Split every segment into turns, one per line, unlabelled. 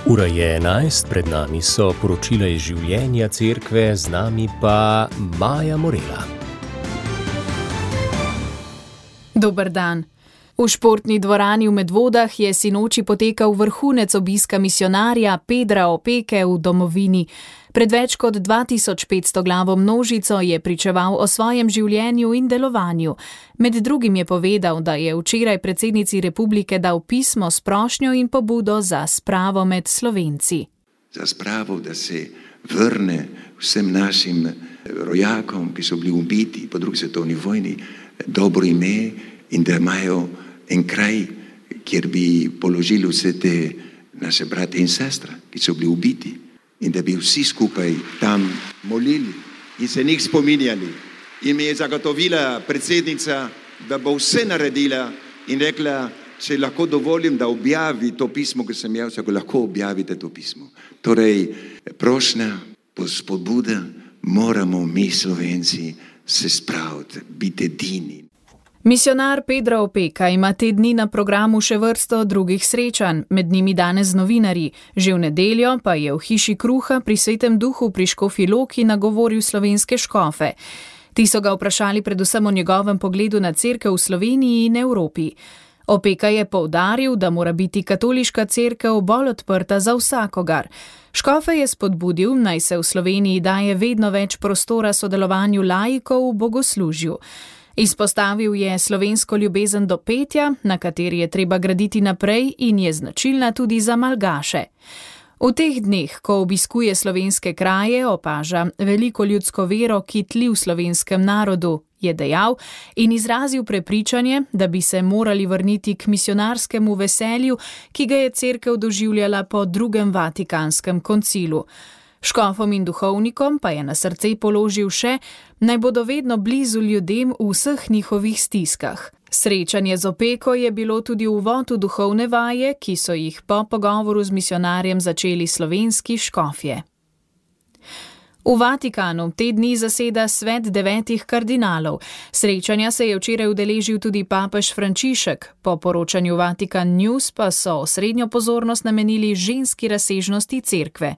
Ura je 11, pred nami so poročila iz življenja cerkve, z nami pa Maja Morela.
Dober dan. V športni dvorani v Medvodah je sinoči potekal vrhunec obiska misijonarja Pedra Opeke v domovini. Pred več kot 2500 glavo množico je pričeval o svojem življenju in delovanju. Med drugim je povedal, da je včeraj predsednici republike dal pismo s prošnjo in pobudo za spravo med Slovenci.
Za spravo, da se vrne vsem našim rojakom, ki so bili ubiti po drugi svetovni vojni, dobro ime in da imajo en kraj, kjer bi položili vse te naše brate in sestre, ki so bili ubiti. In da bi vsi skupaj tam molili in se njih spominjali. In mi je zagotovila predsednica, da bo vse naredila in rekla, če lahko dovolim, da objavi to pismo, ki sem jaz, ako lahko objavite to pismo. Torej, prošnja, spodbuda, moramo mi Slovenci se spraviti, biti edini.
Misijonar Pedra Opeka ima te dni na programu še vrsto drugih srečanj, med njimi danes z novinarji. Že v nedeljo pa je v hiši kruha pri Svetem duhu pri Škofji Loki nagovoril slovenske škofe. Ti so ga vprašali predvsem o njegovem pogledu na cerkev v Sloveniji in Evropi. Opeka je poudaril, da mora biti katoliška cerkev bolj odprta za vsakogar. Škofe je spodbudil, naj se v Sloveniji daje vedno več prostora sodelovanju laikov v bogoslužju. Izpostavil je slovensko ljubezen do petja, na kateri je treba graditi naprej in je značilna tudi za malgaše. V teh dneh, ko obiskuje slovenske kraje, opaža veliko ljudsko vero, ki tli v slovenskem narodu, je dejal in izrazil prepričanje, da bi se morali vrniti k misijonarskemu veselju, ki ga je cerkev doživljala po drugem Vatikanskem koncilu. Škofom in duhovnikom pa je na srce položil še, naj bodo vedno blizu ljudem v vseh njihovih stiskah. Srečanje z Opeko je bilo tudi uvod v duhovne vaje, ki so jih po pogovoru z misijonarjem začeli slovenski škofje. V Vatikanu te dni zaseda svet 9 kardinalov. Srečanja se je včeraj udeležil tudi papež Frančišek. Po poročanju Vatikan News pa so osrednjo pozornost namenili ženski razsežnosti cerkve.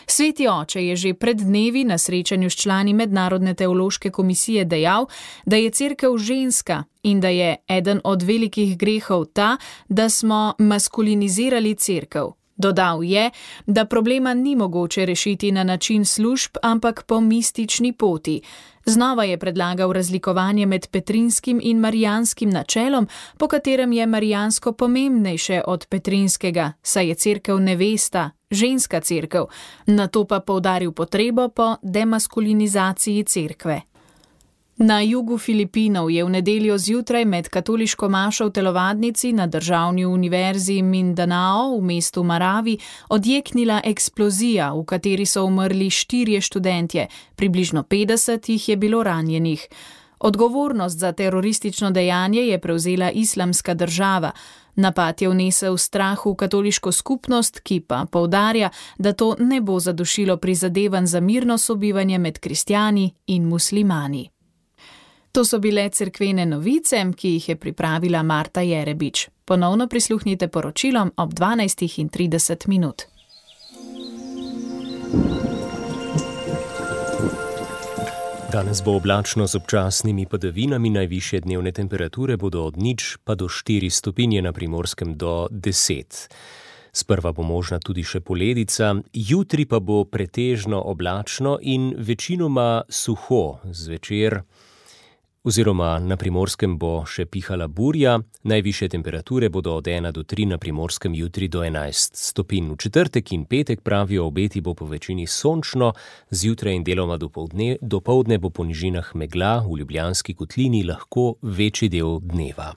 Sveti oče je že pred dnevi na srečanju s člani Mednarodne teološke komisije dejal, da je cerkev ženska in da je eden od velikih grehov ta, da smo maskulinizirali cerkev. Dodal je, da problema ni mogoče rešiti na način služb, ampak po mistični poti. Znova je predlagal razlikovanje med petrinskim in marijanskim načelom, po katerem je marijansko pomembnejše od petrinskega, saj je cerkev nevesta, ženska cerkev, nato pa poudaril potrebo po demaskulinizaciji cerkve. Na jugu Filipinov je v nedeljo zjutraj med katoliško mašo v telovadnici na državni univerzi Mindanao v mestu Marawi odjeknila eksplozija, v kateri so umrli 4 študentje, približno 50 jih je bilo ranjenih. Odgovornost za teroristično dejanje je prevzela Islamska država. Napad je vnesel strah v katoliško skupnost, ki pa poudarja, da to ne bo zadušilo prizadevanj za mirno sobivanje med kristjani in muslimani. To so bile cerkvene novice, ki jih je pripravila Marta Jerebič. Ponovno prisluhnite poročilom ob 12:30.
Danes bo oblačno z občasnimi padavinami, najvišje dnevne temperature bodo od 0 pa do 4 stopinje, na Primorskem do 10. Sprva bo možna tudi še poledica, jutri pa bo pretežno oblačno in večinoma suho. Zvečer oziroma na Primorskem bo še pihala burja, najvišje temperature bodo od 1 do 3, na Primorskem jutri do 11 stopinj. V četrtek in petek, pravijo obeti, bo po večini sončno, zjutraj in deloma dopoldne bo po nižinah megla, v Ljubljanski kotlini lahko večji del dneva.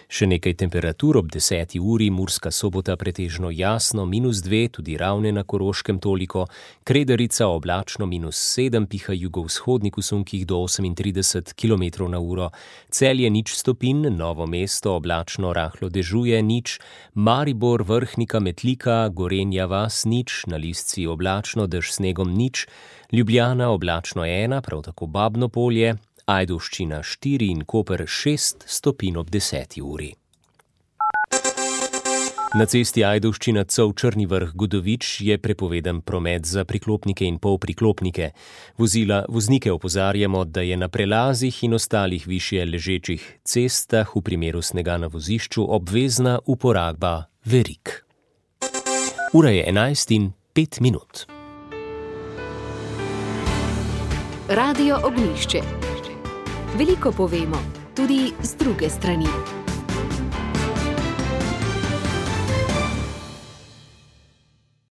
Še nekaj temperatur ob 10. uri, Murska Sobota pretežno jasno, -2, tudi Ravne na Koroškem toliko, Kredarica oblačno -7, piha jugovzhodnik v sunkih do 38 km/h, Celje 0 stopinj, Novo mesto oblačno rahlo dežuje 0, Maribor, Vrhnika, Metlika, Gorenja vas 0, na Listci oblačno, dež snegom 0, Ljubljana oblačno 1, prav tako Babno Polje, Ajdovščina 4 in Koper 6 stopinj ob 10. uri. Na cesti Ajdovščina-Cov-Črni Vrh-Godovič je prepovedan promet za priklopnike in polpriklopnike. Voznike opozarjamo, da je na prelazih in ostalih višje ležečih cestah v primeru snega na vozišču obvezna uporaba verig. Ura je 11:05.
Radio Ognjišče. Veliko povemo, tudi z druge strani.